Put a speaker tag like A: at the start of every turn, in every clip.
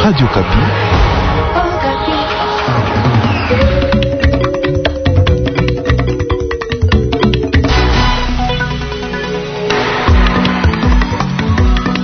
A: Radio Okapi.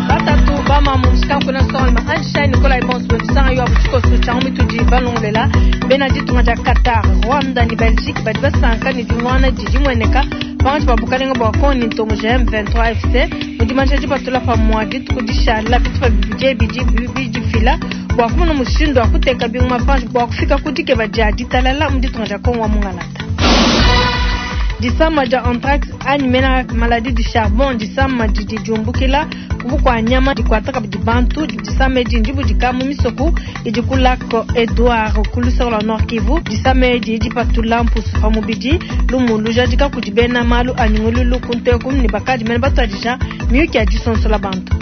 B: Batatu bamamu musikankuna nsongaluma Einstein Nikolai bonso bemisanga yo abu tshikoso tshia mitudi balongolela bena ditunga dia Qatar, Rwanda ne Belgique badi basanka ne dimuana didi dimueneka pankatshi pa bukalenga bua Congo ne ntombo ja M23 FC mu dimanyisha dipatula pamua dituku dishala bitupa bibidi ebi bidifila bua kumona mushindu wa kuteka bingoma panshi bua kufika ku dikeba dia ditalala mu ditunga dia Congo wa mungalata. Disama dia anthrax anyi mena maladie du charbon, disama didi diumbukila ku bukua nyama dikuata kabidi bantu. Disama edi ndibudika mu misoko idi ku lac Edouard ku luseke lua Nord Kivu. Disama edi dipatula mpusu pa mubidi, lumu lujadika kudi bena malu a nyungululu ku nteku ne bakadi mene batuadija miyuki ya disonsola bantu.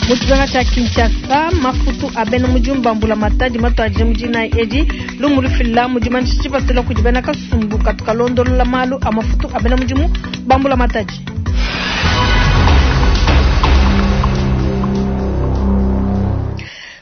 B: Mu tshimenga tshia Kinshasa, mafutu a bena mudimu ba mbulamatadi matuadije mu dinayi edi. Lumu lufila mu dimanyisha tshipatula kudi bena kasumbu katu kalondolola malu a mafutu a bena mudimu ba mbulamatadi.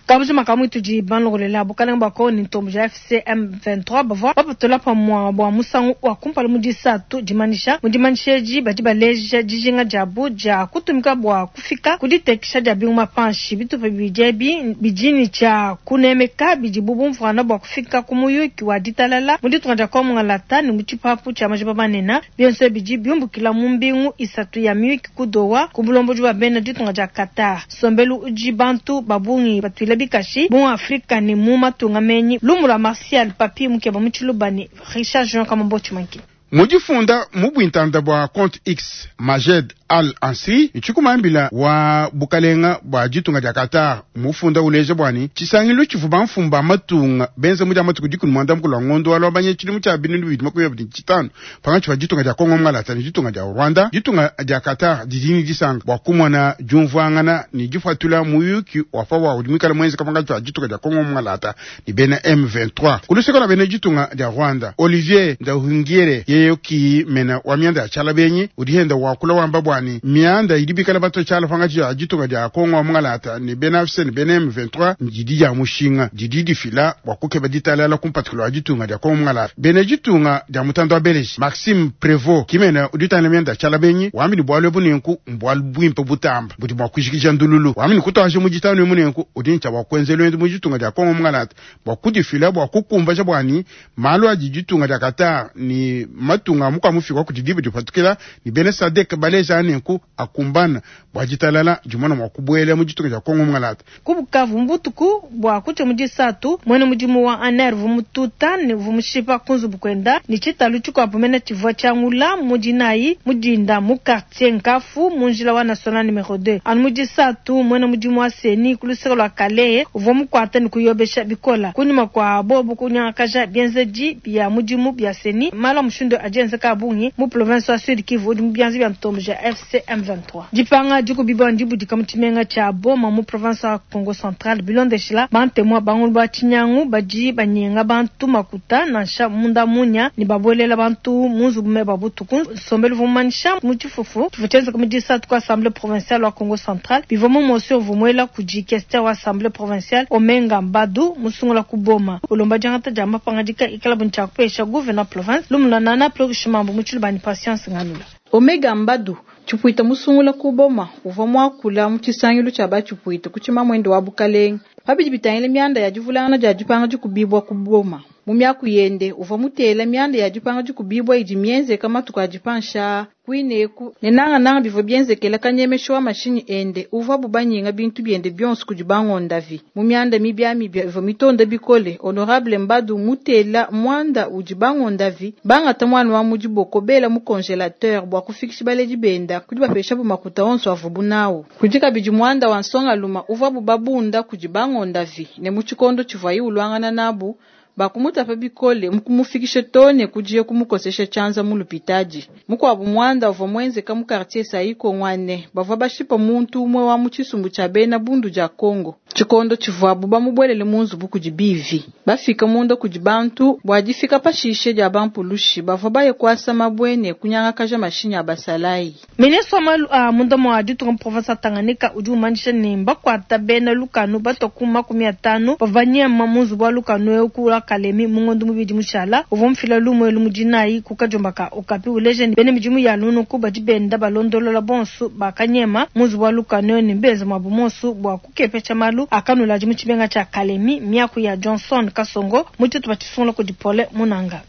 B: Kabujima ka muitudi banlogolela bukalenga bua Kongo ne ntombo ja FCM 23 bavua bapatula pamua bua musangu wa kumpala mu disatu dimanyisha. Mu dimanyisha edi badi baleja dijinga diabu dia kutumika bua kufika ku ditekesha dia bingoma panshi. Bitupa bibidi ebi bidi ne tshia kunemeka bidibu bumvuana bua kufika ku muyuki wa ditalala mu ditunga dia Kongo Mungalata ne mu tshipapu tshia majiba manene. Bionso ebi bidi biumbukila mu mbingu isatu ya miyuki ku Doha ku bulombodi bua bena ditunga dia Qatar. Nsombelu udi bantu ba bungi batuila bikashi mu Afrika ne mu matunga menyi. Lumu lua Martial Papy Mukeba mu Tshiluba ne Richard Junior Kamambo Tshimanki.
C: Mu difunda mu buintanda bua compte X, Majed Al Ansri ntshikumambila wa bukalenga bua ditunga dia Qatar mufunda uleja bua ne tshisangilu tshivua bamfumu ba matunga benza mu dia matuku dikumi muanda mukulu wa ngondo wa Luabanya tshidimu tshia 2025 pankatshi pa ditunga dia Congo Mungalata ne ditunga dia Rwanda. Ditunga dia Qatar didi ne disanka bua kumona diumvuangana ne dipatula muyuki wa pa buawu udi muikale muenzeka pankatshi pa ditunga dia Congo Mungalata ne bena M23. Ku luseke lua bena ditunga dia Rwanda, Olivier Nduhungirehe yeye ki mena wa mianda ya tshiala benyi udi henda wakula wamba bua ne mianda idi bikala batua tshiala pankatshi pa ditunga dia Congo wa Mungalata ne bena AFC ne bena M23 didi dia mushinga didi difila bua kukeba ditalala ku mpatikilo wa ditunga dia Congo Mungalata. Bena ditunga dia mutanda wa Beleji Maxime Prevot kimena udi utangila mianda ya tshiala benyi wambi ne bualu ebu nenku mbualu buimpe butamba budi mua kujikija ndululu. Wambi ne kutuaja mu ditanu emu nenku udi ne tshia bua kuenza luendu mu ditunga dia Congo Mungalata bua kudifila bua kukumbaja bua ne malu adi ditunga dia Qatar ne matunga a mukua mufika kudi diba dipatukila ne bena SADC baleja nenku akumbana bua ditalala dimona mua kubuela mu ditunga dia Congo Mungalata.
B: Ku Bukavu, mu butuku bua kutshia mu disatu, muena mudimu wa ANR uvua mututa ne uvua mushipa ku nzubu kuenda ne tshitalu tshikuabu mene tshivua tshiangula mu dinayi mu dinda mu quartier Nkafu mu njila wa national numero 2. Anu mu disatu, muena mudimu wa CENI ku luseke lua Kalehe uvua mukuata ne kuyobesha bikola kunyima kua bobu kunyangakaja bienzedi bia mudimu bia CENI. Malu a mushindu adi enzeka a bungi mu province wa Sud Kivu udi mu bianza bia ntombo ja FC M23. Dipanga dikubibua ndibudika mu tshimenga tshia Boma mu province wa Kongo Central bilondeshila bantemu bangulu ba tshinyangu badi banyenga bantu makuta nansha munda munya ne babuelela bantu mu nzubu meba butuku. Nsombelu uvua mumanyisha mu tshifufu tshivua tshienzeka mu disatu ku Assemblee provinciale wa Kongo Central. Bivua mu motion uvua muela kudi questeur wa Assemblee provinciale Omenga Mbadu musungula ku Boma ulomba diangata dia mapangadika ikalabu ne tshia kupesha gouverneur province lumu lua Nana Plurish Mambu mu Tshiluba ne Patience Ngalula.
D: Omega Mbadu, tshipuita musungula ku Boma, uvua muakula mu tshisangilu tshia batshipuita ku tshimamuende wa bukalenge pa bidi bitangila mianda ya divulangana dia dipanga dikubibua ku Boma. Mu miaku yende, uvua mutela mianda ya dipanga dikubibua idi mienzeka matuku adi panshi aa kuine eku, ne nangananga bivua bienzekela kanyemesha wa mashinyi ende uvuabu banyenga bintu biende bionso kudi bangondavi. Mu mianda mibiamibia ivua mitonda bikole, Honorable Mbadu mutela muanda udi bangondavi bangata muana wa mu diboko bela mu congelateur bua kufikisha baledi benda ku dibapeshabu makuta onso avuabu nawu. Kudi kabidi muanda wa nsongaluma uvuabu babunda kudi bangondavi ne mu tshikondo tshivuaye uluangana nabu, bakumutapa bikole mukumufikishe too ne kudiye kumukosesha tshianza mu lupitadi. Mukuabu muanda uvua muenzeka mu quartier Saiko ngua ne, bavua bashipa muntu umue wa mu tshisumbu tshia bena Bundu dia Congo. Tshikondo tshivuabu bamubuelele mu nzubu kudi bivi. Bafika munda kudi bantu bua difika pashishe dia ba mpulushi bavua baye kuasa mabue ne kunyangakaja mashinyi a basalayi.
B: Ministre wa malu a munda mua ditunga mu province wa Tanganyika udi umanyisha ne mbakuata bena lukanu batua ku 50 bavua banyema mu nzubu wa lukanu eu ku wa Kalemi mu ngondo muibidi mushala. Uvua mufila lumu elu mu dinayi ku kadiomba ka Okapi uleja ne bena midimu ya lunuku badi benda balondolola bonsu bakanyema mu nzubu wa lukanu eu ne mbenza muabu monsu bua kukepesha malu a kanuladi mu tshimenga tshia Kalemi. Miaku ya Johnson Kasongo mu tshitupa tshisungula kudi Paulin Munanga.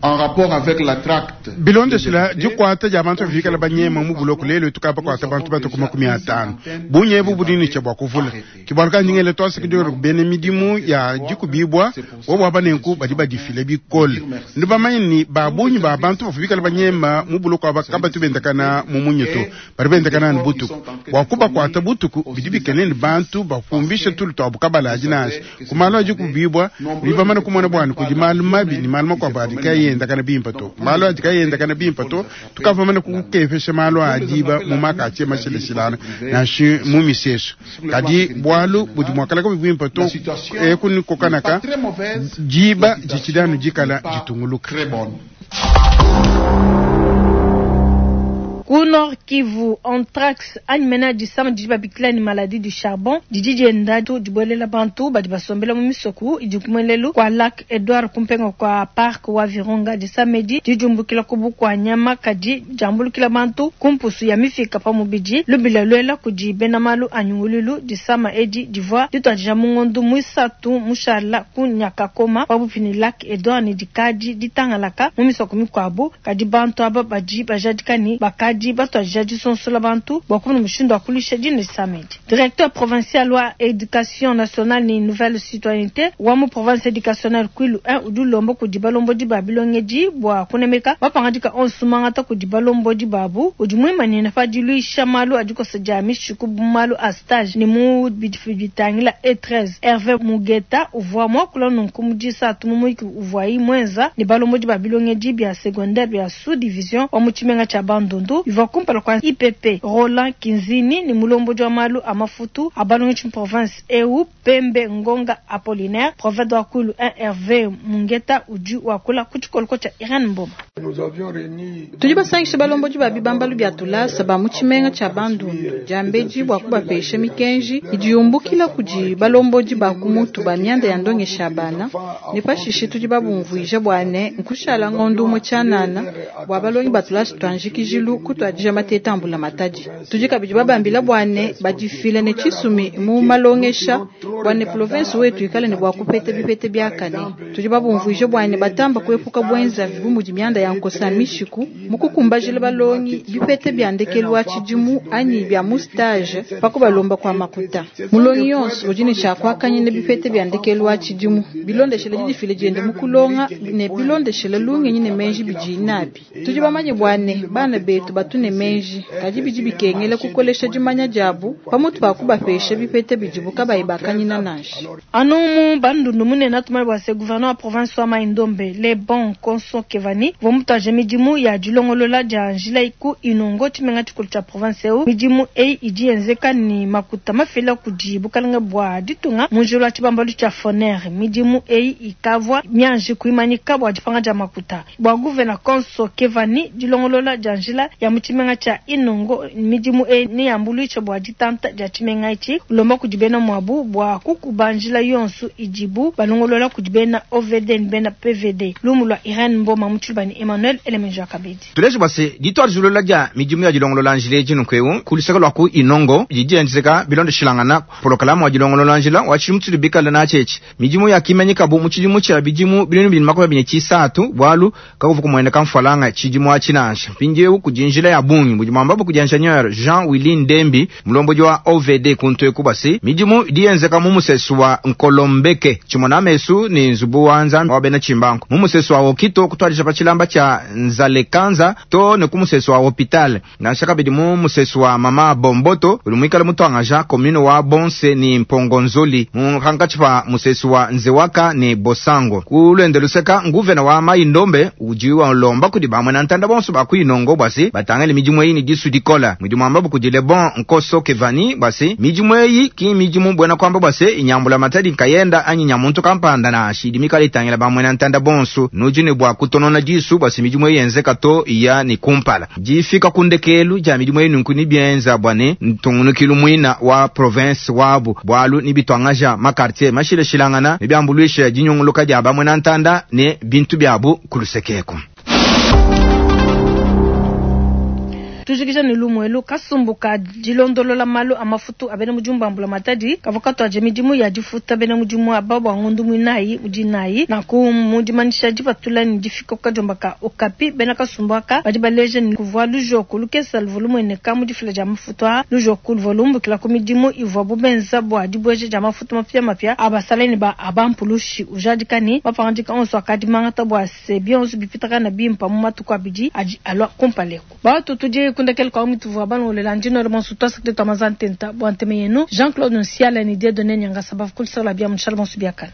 A: En rapport avec la tract.
C: Bilondeshila dikuata dia bantu bikala banyema mu buloko lelu tukabakuata bantu batue ku 50. Bungi ebu budi ne tshia bua kuvula. Ke bualu kayi ndi ngela tuasakidila kudi bena midimu ya dikubibua bobu aba nenku badi badifila bikole. Nudi bamanye ne, ba bungi ba bantu bavua bikala banyema mu buloko aba kabatu bendakana mu munya to, badi bendakana anu butuku. Bua kubakuata butuku bidi bikengela ne bantu bapumbishe tulu tuabu kabaladi nansha ku malu a dikubibua. Nudi bamane kumona bua ne kudi malu mabi ne malu makuabu adi kayi endakana bimpe to. Malu adi kayi endakana bimpe to, tukavua bamane kukepesha malu a diba mu makatie mashilashilangane nansha mu misesu. Kadi bualu budi mua kala kabuyi buimpe to, eku ne kokanaka diba ditshidi anu dikala ditunguluka.
B: Ku Nord Kivu, anthrax anyi mena disama didi babikila ne maladie du charbon didi dienda dibuelela bantu badi basombela mu misoku idi ku muelelu kua lac Edouard ku mpenga kua parc wa Virunga. Disama edi didi diumbukila ku bukua nyama kadi diambulukila bantu ku mpusu ya mifika pa mubidi. Lubila luela kudi bena malu a nyunguluilu, disama edi divua dituadija mu ngondu muisatu mushala ku Nyakakoma pabuipi ne lac Edouard ne dikadi ditangalaka mu misoko mikuabu. Kadi bantu aba badi bajadika ne, bakadi batuadija disonsola bantu bua kumona mushindu wa kuluisha dina disama edi. Directeur provincial wa Education nationale ne nouvelle citoyennete wa mu province educationnelle Kwilu 1 udi ulomba kudi balombodi ba bilongedi bua kunemeka mapangadika onso mangata kudi balombodi babu. Udi muimanyine pa diluisha malu a dikosa dia mishiku mu malu a stage ne mu bidi bitangila E13. Herve Mugeta uvua muakula nunku mu disatu mu muyiki uvuayi muenza ne balombodi ba bilongedi bia secondaire bia sous division wa mu tshimenga tshia Bandundu bivua kumpala kua IPP Roland Kinzini ne mulombodi wa malu a mafutu a balongeshi mu province eu Pembe Ngonga Apollinaire. Prophète wa Kwilu 1 Herve Mungeta udi wakula ku tshikoloko tshia Irene Mboma.
D: Tudi basangishe balombodi ba bibambalu bia tulasa ba mu tshimenga tshia Bandundu diambedi bua kubapesha mikenji idi yumbukila kudi balombodi ba ku mutu ba mianda ya ndongesha bana, ne pashishe tudi babumvuija bua ne, nkushala ngondo umue tshianana bua balongi ba tulasa tua njikijilu kutuadija mateta a mbulamatadi. Tudi kabidi babambila bua ne, badifile ne tshisumi mu malongesha bua ne province wetu ikale ne bua kupeta bipeta biakane. Tudi babumvuija bua ne, batamba kuepuka buenzavi bu mudi mianda ya nkosa mishiku mu kukumbajila balongi bipeta bia ndekelu wa tshidimu anyi bia mu stage pa kubalomba kua makuta. Mulongi yonso udi ne tshia kuakanyina bipeta bia ndekelu wa tshidimu bilondeshela didifila diende mu kulonga ne bilondeshela lungenyi ne meji bidiyi nabi. Tudi bamanye bua ne, bana betu batu ne meji, kadi bidi bikengela kukolesha dimanya diabu pamutu pa kubapesha bipeta bidibu kabayi bakanyina nansha.
B: Anu mu Bandundu munene tumanye bua se gouverneur wa province wa Mai-Ndombe Lebon Konso Kevani uvua mutuadije midimu ya dilongolola dia njila ku Inongo, tshimenga tshikulu tshia province eu. Midimu eyi idi yenzeka ne makuta mafila kudi bukalenge bua ditunga mu njila wa tshibambalu tshia Foner. Midimu eyi ikavua mianji kuimanyika bua dipanga dia makuta. Bua gouvena Konso Kevani, dilongolola dia njila ya mu tshimenga tshia Inongo, midimu eyi neyambuluishe bua ditanta dia tshimenga etshi. Ulomba kudi bena muabu bua kukuba njila yonso idibu balongolola kudi bena OVD ne bena PVD. Lumu lua Irene Mboma mu tshiluba ne Emmanuel Elemenja Kabedi.
E: Tuleje bua se, dituadijilula dia midimu ya dilongolola njila edi nunku'eu ku luseke lua ku Inongo didi dienzeka bilondeshilangana polokalame wa dilongolola njila wa tshidimu tshitudi bikale natshi etshi. Midimu yakimanyikabu mu tshidimu tshia bidimu 2023 bualu kakuvua kumueneka mfualanga tshidimu atshi nansha. Mpindieu kudi njila ya bungi budi muambabu kudi ingenieur Jean Willy Ndembi, mulombodi wa OVD kuntu eku bua se, midimu idi yenzeka mu musesu wa Nkolombeke, tshimona mesu ne nzubu wa Nzambi wa bena Tshimbangu, mu musesu wa Okito kutuadija pa tshilamba tshia Nzalekanza too ne ku musesu wa Hopital, nansha kabidi mu musesu wa Mama Bomboto udi muikale mutuangaja commune wa Bonse ne Mpongonzoli mu pankatshi pa musesu wa Nzewaka ne Bosango. Ku luende luseka, nguvena wa Mai-Ndombe udi ulomba kudi ba muena ntanda bonso ba ku Inongo bua se, batangile. Batangile midimu eyi ne disu dikola. Mudi muambabu kudi Lebon Nkoso Kevani bua se, midimu eyi ki mmidimu buena kuamba bua se, nya mbulamatadi nkayenda anyi nya muntu kampanda nansha, idi mikale itangila ba muena ntanda bonsu. Nudi ne bua kutonona disu bua se midimu eyi yenzeka to iya ne kumpala. Difika ku ndekelu dia midimu eyi nunku nebienza bua ne ntungunukilu muina wa province wabu, bualu nebituangaja ma quartier mashilashilangana, nebiambuluisha dinyunguluka dia ba muena ntanda ne bintu biabu ku luseke eku.
B: Tujikija ne lumu elu, kasumbu ka dilondolola malu a mafutu a bena mudimu ba mbulamatadi kavua katuadija midimu ya difuta bena mudimu aba bua ngondo muinayi mu dinayi. Nanku mu dimanyisha dipatula ne difika ku kadiomba ka Okapi, bena kasumbu aka badi baleja ne, kuvua lujoku lukesa luvua lumueneka mu difila dia mafutu aa. Lujoku luvua lumbukila ku midimu ivuabu benza bua dibueja dia mafutu mapiamapia a basalayi ne ba a bampulushi. Ujadika ne, mapangadika onso akadi mangata bua se bionso bipitakana bimpa mu matuku abidi adi alua kumpala eku. Batu tudi ku ndekelu kua mituvua balongolola ndi nuela bonso tuasakidila tua manza ntenta bua ntema yenu. Jean Claude Nsiala ne Dieudonne Nyangasa bavua ku luseke lua bia mu tshiala bonso biakana.